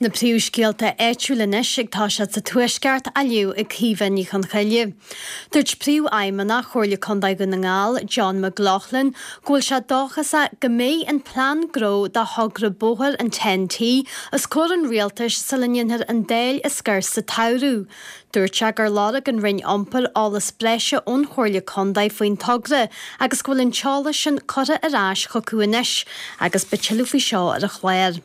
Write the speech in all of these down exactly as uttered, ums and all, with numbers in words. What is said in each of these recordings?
Na príomhscéalta áitiúla anois ag toiseacht sa Tuaisceart á léamh ag Caoimhe Ní Chonchoille. Dúirt Príomhfheidhmeannach Chomhairle Contae Dhún na nGall, John McLaughlin, go bhfuil sé dóchasach go mbeidh an plean gnó do thogra bóthair an TEN-T os comhair an rialtais sula ndéanfar an Dáil a scor sa tsamhradh. Dúirt sé gur lorg an Roinn Iompair eolas breise ón Chomhairle Contae faoin togra agus go bhfuil an t-eolas sin curtha ar ais chucu anois agus beidh tuilleadh faoi seo ar an chlár.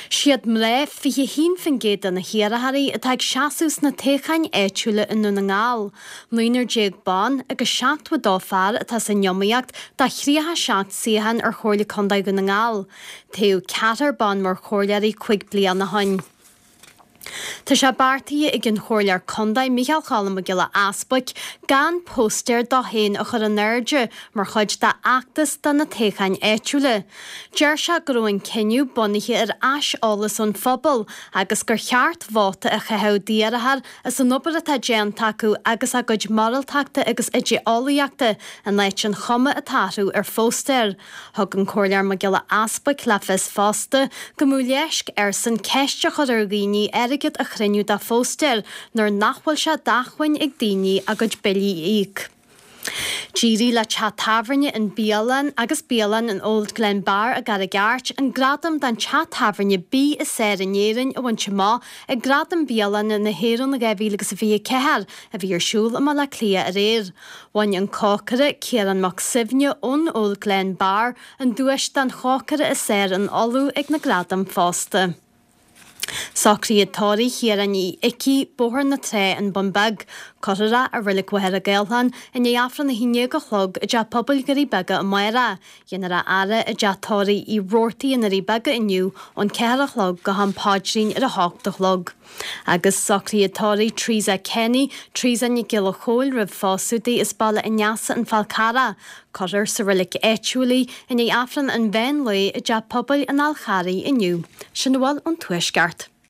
Siad mná fiche haon faoin gcéad de na hiarrthóirí atá ag seasamh sna toghcháin áitiúla i nDún na nGall. Naonúr déag ban agus seachtó a dó fear atá san iomaíocht do thríocha seacht suíochán ar Chomhairle Contae Dhún na nGall. Toghadh ceathrar ban mar chomhairleoirí cúig bliana ó shin. Tá sé beartaithe ag an Chomhairleoir Contae Micheál Cholm Mac Giolla Easbuic gan póstaer dó féin a chur in airde mar chuid dá fheachtas do na toghcháin áitiúla. Deir sé go raibh an cinneadh bunaithe ar aiseolas ón phobal agus gur cheart vóta a chaitheamh d'iarrthóir as an obair atá déanta acu agus a gcuid moráltachta agus idé-eolaíochta in áit an chuma atá orthu ar phóstaer. Thug an Comhairleoir Mac Giolla Easbuic le fios fosta go mbeadh leisc airsean ceist a chur ar dhaoine airgead a chruinniú dá phóstaer nuair nach bhfuil sé d'acmhainn ag daoine a gcuid billí a íoc. D'éirigh le teach tábhairne an Bialann agus Bialann an Old Glen Bar i gCarraig Airt an gradam don teach tábhairne bídh is fearr in Éirinn a bhaint amach ag Gradaim Bialanna na hÉireann dhá mhíle agus a fiche ceathair a bhí ar siúl i mBaile Átha Cliath aréir. Bhain an cócaire Ciarán Mac Suibhne ón Old Glen Bar an duais don chócaire is fearr in Uladh ag na gradaim fosta. Socruithe tórraimh Chiaráin Uí Icí, Bóthar na Trá, An Bun Beag. Cuirfear é i Reilig Mhachaire Gathlán i ndiaidh Aifreann a haon déag a chlog i dTeach Pobail Dhoirí Beaga amárach. Dhéanfar a fhaire i dTeach Tórraimh Uí Robhartaigh i nDoirí Beaga inniu ón ceathair a chlog go ham paidrín ar a hocht a chlog. Agus socruithe tórraimh Teresa Kenny, Teresa Nic Giolla Chóill roimh phósadh di as Baile an Easa An Fál Carrach. Cuirfear sa reilig áitiúil í i ndiaidh Aifreann an mheán lae i dTeach Pobail an Fháil Charraigh inniu. Sin a bhfuil ón Tuaisceart.